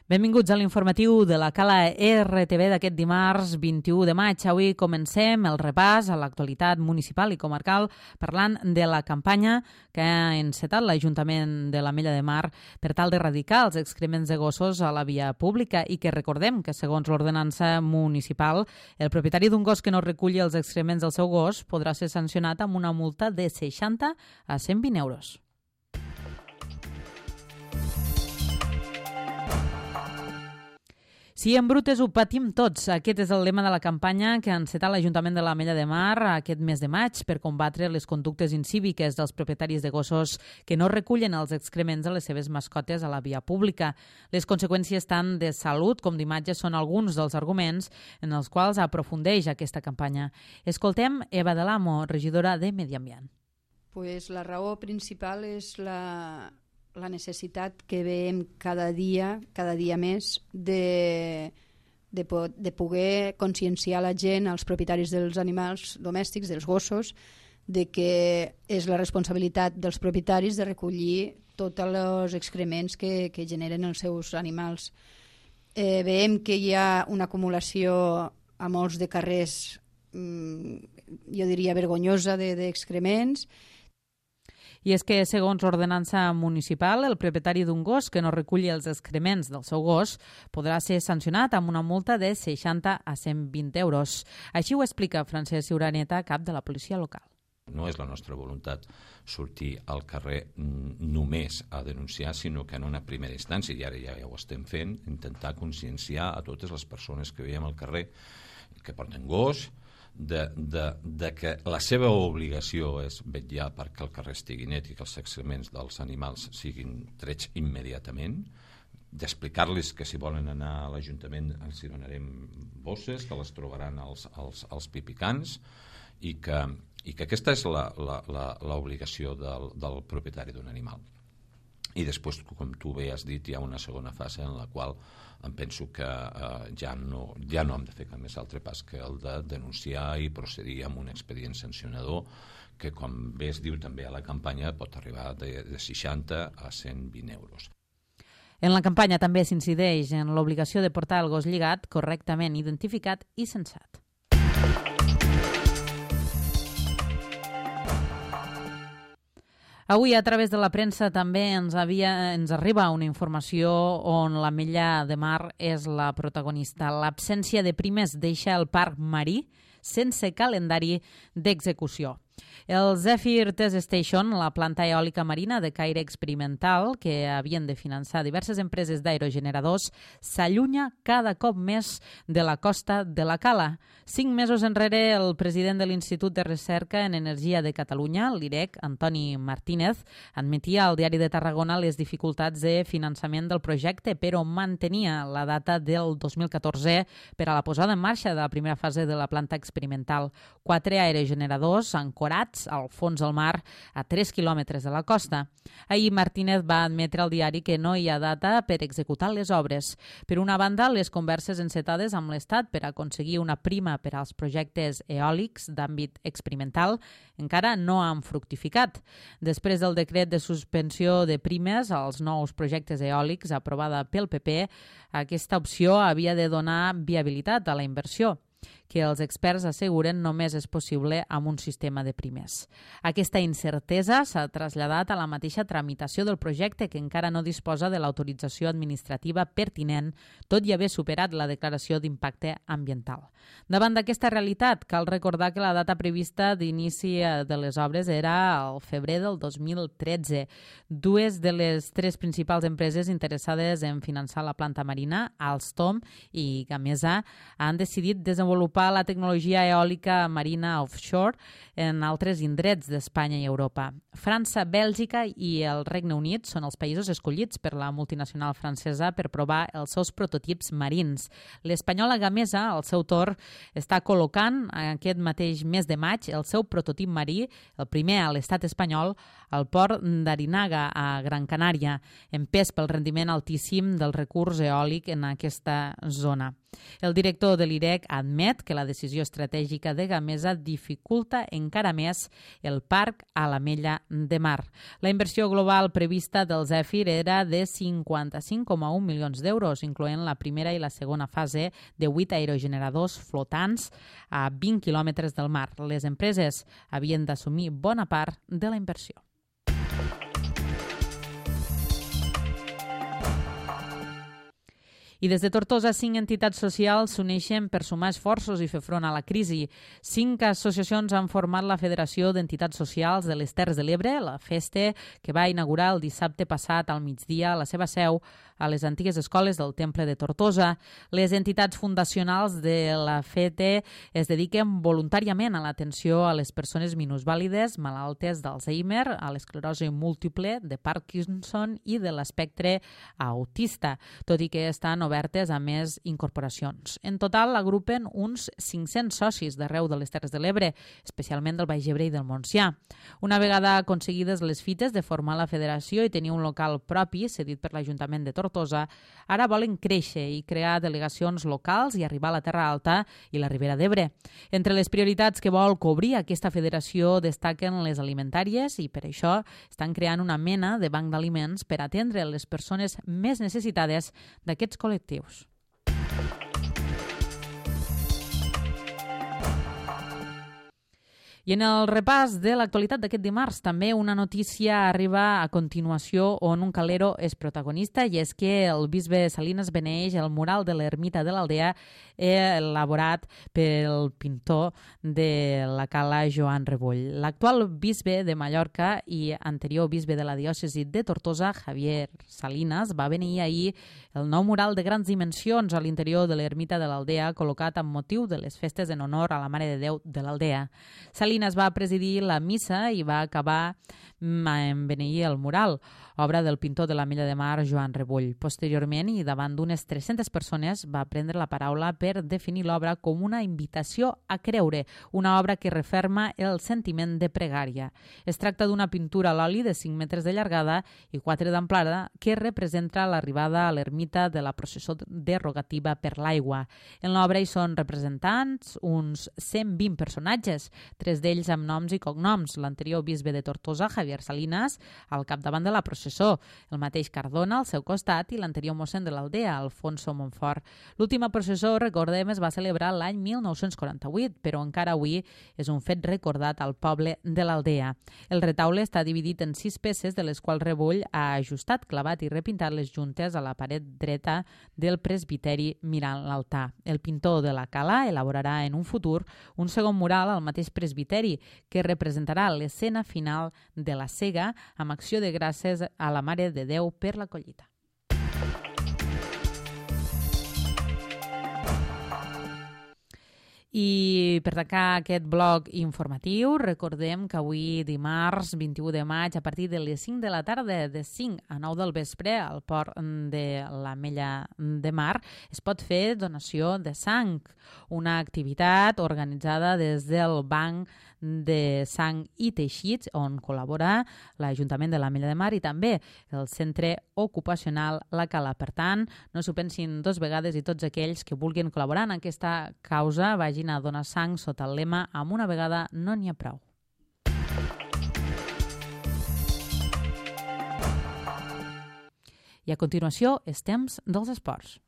Benvinguts a l'informatiu de la Cala RTV d'aquest dimarts 21 de maig. Avui comencem el repàs a l'actualitat municipal i comarcal parlant de la campanya que ha encetat l'Ajuntament de l'Ametlla de Mar per tal d'erradicar els excrements de gossos a la via pública i que recordem que, segons l'ordenança municipal, el propietari d'un gos que no reculli els excrements del seu gos podrà ser sancionat amb una multa de 60 a 120 euros. Si en brutes ho patim tots, aquest és el lema de la campanya que ha encetat l'Ajuntament de l'Ametlla de Mar aquest mes de maig per combatre les conductes incíviques dels propietaris de gossos que no recullen els excrements de les seves mascotes a la via pública. Les conseqüències tant de salut com d'imatge són alguns dels arguments en els quals aprofundeix aquesta campanya. Escoltem Eva de l'Amo, regidora de Medi Ambient. Pues la raó principal és la necessitat que veiem cada dia més de poder conscienciar la gent, els propietaris dels animals domèstics, dels gossos, de que és la responsabilitat dels propietaris de recollir tots els excrements que generen els seus animals. Veiem que hi ha una acumulació a molts de carrers, jo diria vergonyosa, d'excrements. I és que, segons l'ordenança municipal, el propietari d'un gos que no reculli els excrements del seu gos podrà ser sancionat amb una multa de 60 a 120 euros. Així ho explica Francesc Ciuraneta, cap de la policia local. No és la nostra voluntat sortir al carrer només a denunciar, sinó que en una primera instància, i ara ja ho estem fent, intentar conscienciar a totes les persones que veiem al carrer que porten gos, de que la seva obligació és vetllar perquè el carrer estigui net i que els excrements dels animals siguin trets immediatament, d'explicar-los que si volen anar a l'Ajuntament els hi donarem bosses, que les trobaran als pipicans i que aquesta és l'obligació del propietari d'un animal. I després, com tu bé has dit, hi ha una segona fase en la qual em penso que ja no hem de fer cap més altre pas que el de denunciar i procedir amb un expedient sancionador que, com bé es diu també a la campanya, pot arribar de 60 a 120 euros. En la campanya també s'incideix en l'obligació de portar el gos lligat, correctament identificat i censat. Avui, a través de la premsa, també ens arriba una informació on l'Ametlla de Mar és la protagonista. L'absència de primes deixa el parc marí sense calendari d'execució. El Zephyr Test Station, la planta eòlica marina de caire experimental que havien de finançar diverses empreses d'aerogeneradors, s'allunya cada cop més de la costa de la Cala. 5 mesos enrere, el president de l'Institut de Recerca en Energia de Catalunya, l'IREC, Antoni Martínez, admetia al Diari de Tarragona les dificultats de finançament del projecte, però mantenia la data del 2014 per a la posada en marxa de la primera fase de la planta experimental. 4 aerogeneradors ancorats al fons del mar a 3 quilòmetres de la costa. Ahir Martínez va admetre al diari que no hi ha data per executar les obres. Per una banda, les converses encetades amb l'Estat per aconseguir una prima per als projectes eòlics d'àmbit experimental encara no han fructificat. Després del decret de suspensió de primes als nous projectes eòlics aprovada pel PP, aquesta opció havia de donar viabilitat a la inversió, que els experts asseguren només és possible amb un sistema de primes. Aquesta incertesa s'ha traslladat a la mateixa tramitació del projecte, que encara no disposa de l'autorització administrativa pertinent, tot i haver superat la declaració d'impacte ambiental. Davant d'aquesta realitat, cal recordar que la data prevista d'inici de les obres era al febrer del 2013. Dues de les 3 principals empreses interessades en finançar la planta marina, Alstom i Gamesa, han decidit desenvolupar la tecnologia eòlica marina offshore en altres indrets d'Espanya i Europa. França, Bèlgica i el Regne Unit són els països escollits per la multinacional francesa per provar els seus prototips marins. L'espanyola Gamesa, al seu torn, està col·locant aquest mateix mes de maig el seu prototip marí, el primer a l'estat espanyol, al port d'Arinaga, a Gran Canària, empès pel rendiment altíssim del recurs eòlic en aquesta zona. El director de l'IREC admet que la decisió estratègica de Gamesa dificulta encara més el parc a l'Ametlla de Mar. La inversió global prevista del Zèfir era de 55,1 milions d'euros, incloent la primera i la segona fase de 8 aerogeneradors flotants a 20 quilòmetres del mar. Les empreses havien d'assumir bona part de la inversió. I des de Tortosa, 5 entitats socials s'uneixen per sumar esforços i fer front a la crisi. 5 associacions han format la Federació d'Entitats Socials de les Terres de l'Ebre, la FESTE, que va inaugurar el dissabte passat al migdia a la seva seu a les antigues escoles del Temple de Tortosa. Les entitats fundacionals de la FETE es dediquen voluntàriament a l'atenció a les persones minusvàlides, malaltes d'Alzheimer, a l'esclerosi múltiple, de Parkinson i de l'espectre autista, tot i que estan obertes a més incorporacions. En total, agrupen uns 500 socis d'arreu de les Terres de l'Ebre, especialment del Baix Ebre i del Montsià. Una vegada aconseguides les fites de formar la federació i tenir un local propi, cedit per l'Ajuntament de Tortosa, ara volen créixer i crear delegacions locals i arribar a la Terra Alta i la Ribera d'Ebre. Entre les prioritats que vol cobrir aquesta federació destaquen les alimentàries i per això estan creant una mena de banc d'aliments per atendre les persones més necessitades d'aquests col·lectius. I en el repàs de l'actualitat d'aquest dimarts, també una notícia arriba a continuació on un calero és protagonista, i és que el bisbe Salines beneeix el mural de l'ermita de l'Aldea elaborat pel pintor de la cala Joan Rebull. L'actual bisbe de Mallorca i anterior bisbe de la diòcesi de Tortosa, Javier Salines, va beneir ahir el nou mural de grans dimensions a l'interior de l'ermita de l'Aldea, col·locat amb motiu de les festes en honor a la Mare de Déu de l'Aldea. Salines va presidir la missa i va acabar en beneir el mural, obra del pintor de l'Ametlla de Mar, Joan Rebull. Posteriorment, i davant d'unes 300 persones, va prendre la paraula per definir l'obra com una invitació a creure, una obra que referma el sentiment de pregària. Es tracta d'una pintura a l'oli de 5 metres de llargada i 4 d'amplada que representa l'arribada a l'ermita de la processó derogativa per l'aigua. En l'obra hi són representants uns 120 personatges, 3 d'ells amb noms i cognoms. L'anterior bisbe de Tortosa, Javier Salines, al capdavant de la processó, el mateix Cardona al seu costat i l'anterior mossèn de l'Aldea, Alfonso Montfort. L'última processó, recordem, es va celebrar l'any 1948, però encara avui és un fet recordat al poble de l'Aldea. El retaule està dividit en 6 peces, de les quals Rebull ha ajustat, clavat i repintat les juntes a la paret dreta del presbiteri mirant l'altar. El pintor de la cala elaborarà en un futur un segon mural al mateix presbiteri que representarà l'escena final de la sega amb acció de gràcies a la Mare de Déu per la collita. I per tancar aquest bloc informatiu, recordem que avui dimarts 21 de maig, a partir de les 5 de la tarda, de 5 a 9 del vespre, al port de l'Ametlla de Mar, es pot fer donació de sang, una activitat organitzada des del Banc de Sang i Teixits, on col·labora l'Ajuntament de l'Ametlla de Mar i també el Centre Ocupacional La Cala. Per tant, no s'ho pensin 2 vegades i tots aquells que vulguin col·laborar en aquesta causa vagin a donar sang sota el lema "Amb una vegada no n'hi ha prou". I a continuació, és temps dels esports.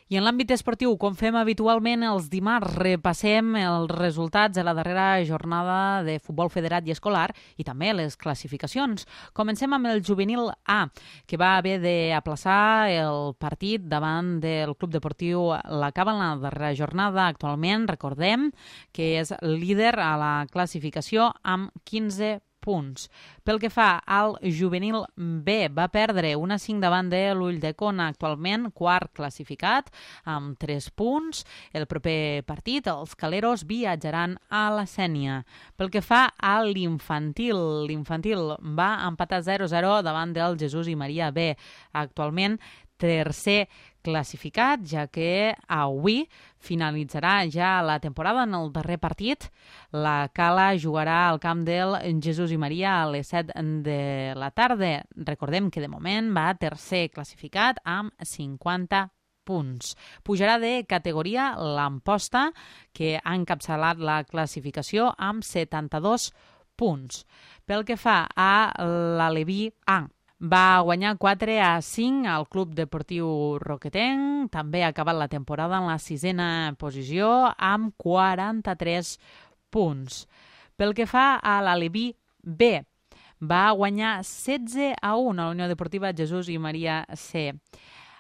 I en l'àmbit esportiu, com fem habitualment els dimarts, repassem els resultats de la darrera jornada de futbol federat i escolar i també les classificacions. Comencem amb el juvenil A, que va haver d'aplaçar el partit davant del Club Deportiu La Cava en la darrera jornada. Actualment, recordem que és líder a la classificació amb 15 punts. Pel que fa al juvenil B, va perdre 1-5 davant de l'Ulldecona, actualment quart classificat amb 3 punts. El proper partit, els caleros viatjaran a la Sénia. Pel que fa a l'infantil va empatar 0-0 davant del Jesús i Maria B. Actualment tercer classificat, ja que avui finalitzarà ja la temporada en el darrer partit. La Cala jugarà al camp del Jesús i Maria a les 7 de la tarda. Recordem que de moment va tercer classificat amb 50 punts. Pujarà de categoria l'Amposta, que ha encapçalat la classificació amb 72 punts. Pel que fa a l'Aleví A, va guanyar 4-5 al Club Deportiu Roquetenc, també ha acabat la temporada en la 6a posició amb 43 punts. Pel que fa a l'Aleví B, va guanyar 16-1 a la Unió Deportiva Jesús i Maria C.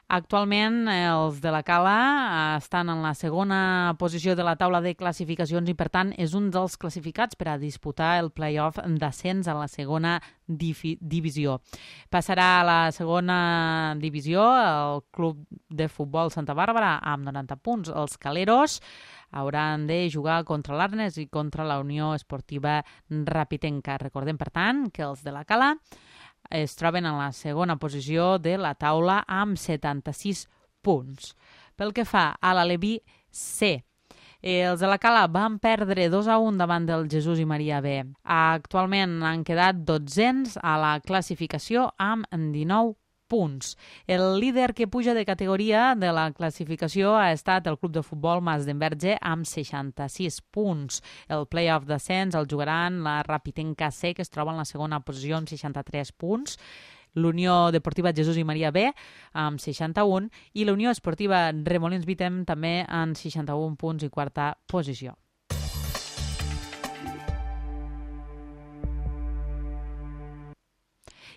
Actualment els de la Cala estan en la segona posició de la taula de classificacions i per tant és un dels classificats per a disputar el play-off d'ascens a la segona divisió. Passarà a la segona divisió el Club de Futbol Santa Bàrbara amb 90 punts. Els caleros hauran de jugar contra l'Arnes i contra la Unió Esportiva Rapitenca. Recordem, per tant, que els de la Cala es troben en la segona posició de la taula amb 76 punts. Pel que fa a l'Aleví C, els de la Cala van perdre 2-1 davant del Jesús i Maria B. Actualment han quedat 12ens a la classificació amb 19 punts. El líder que puja de categoria de la classificació ha estat el Club de Futbol Mas d'Enverge amb 66 punts. El play-off d'ascens el jugaran la Rapitenca C, que es troba en la segona posició amb 63 punts, l'Unió Deportiva Jesús i Maria B amb 61 i la Unió Esportiva Remolins Vitem també amb 61 punts i quarta posició.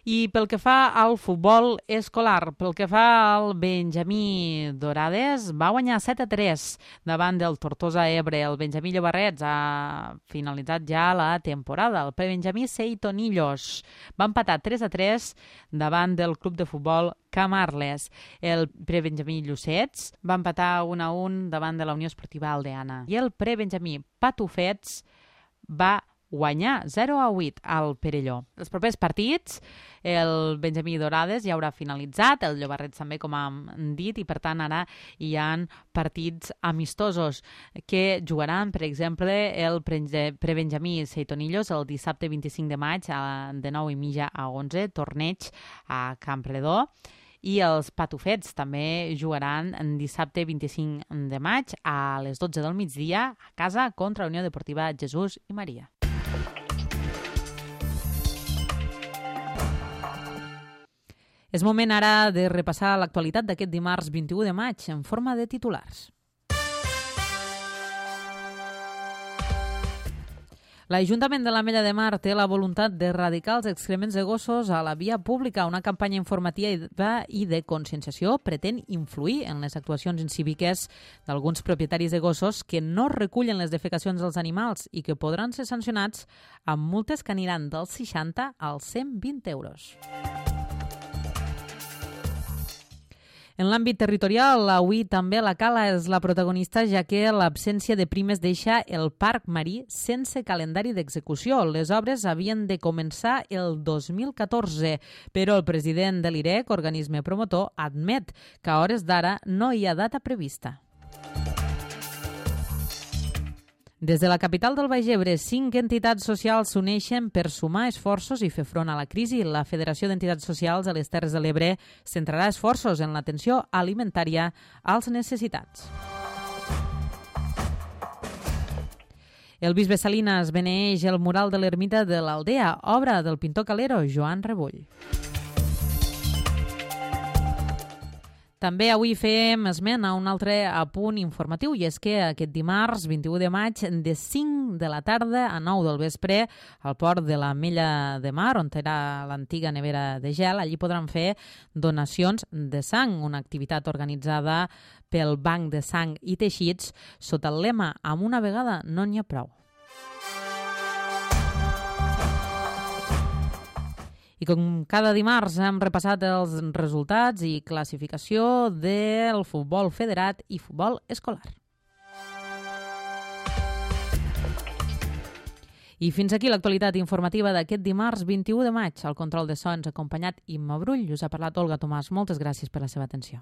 I pel que fa al futbol escolar, pel que fa al Benjamí Dorades, va guanyar 7-3 davant del Tortosa Ebre. El Benjamí Llobarrets ha finalitzat ja la temporada. El Prebenjamí Seitonillos va empatar 3-3 davant del Club de Futbol Camarles. El Prebenjamí Llucets va empatar 1-1 davant de la Unió Esportiva Aldeana. I el Prebenjamí Patufets va guanyar 0-8 al Perelló. Els propers partits, el Benjamí Dorades ja haurà finalitzat, el Llobarrets també, com hem dit, i per tant ara hi ha partits amistosos que jugaran, per exemple, el Prebenjamí Seitonillos el dissabte 25 de maig de 9:30 a 11, torneig a Campredó. I els Patufets també jugaran dissabte 25 de maig a les 12 del migdia a casa contra la Unió Deportiva Jesús i Maria. És moment ara de repassar l'actualitat d'aquest dimarts 21 de maig en forma de titulars. L'Ajuntament de l'Ametlla de Mar té la voluntat d'erradicar els excrements de gossos a la via pública. Una campanya informativa i de conscienciació pretén influir en les actuacions incíviques d'alguns propietaris de gossos que no recullen les defecacions dels animals i que podran ser sancionats amb multes que aniran dels 60 als 120 euros. En l'àmbit territorial, avui també la Cala és la protagonista, ja que l'absència de primes deixa el Parc Marí sense calendari d'execució. Les obres havien de començar el 2014, però el president de l'IREC, organisme promotor, admet que a hores d'ara no hi ha data prevista. Des de la capital del Baix Ebre, 5 entitats socials s'uneixen per sumar esforços i fer front a la crisi. La Federació d'Entitats Socials a les Terres de l'Ebre centrarà esforços en l'atenció alimentària als necessitats. El bisbe Salinas beneeix el mural de l'ermita de l'Aldea, obra del pintor calero Joan Rebull. També avui fem esment a un altre apunt informatiu, i és que aquest dimarts 21 de maig de 5 de la tarda a 9 del vespre al port de l'Ametlla de Mar, on era l'antiga nevera de gel, allí podran fer donacions de sang, una activitat organitzada pel Banc de Sang i Teixits sota el lema "Amb una vegada no n'hi ha prou". I com cada dimarts hem repassat els resultats i classificació del futbol federat i futbol escolar. I fins aquí l'actualitat informativa d'aquest dimarts 21 de maig. Al control de sons acompanyat Imma Brull. Us ha parlat Olga Tomàs. Moltes gràcies per la seva atenció.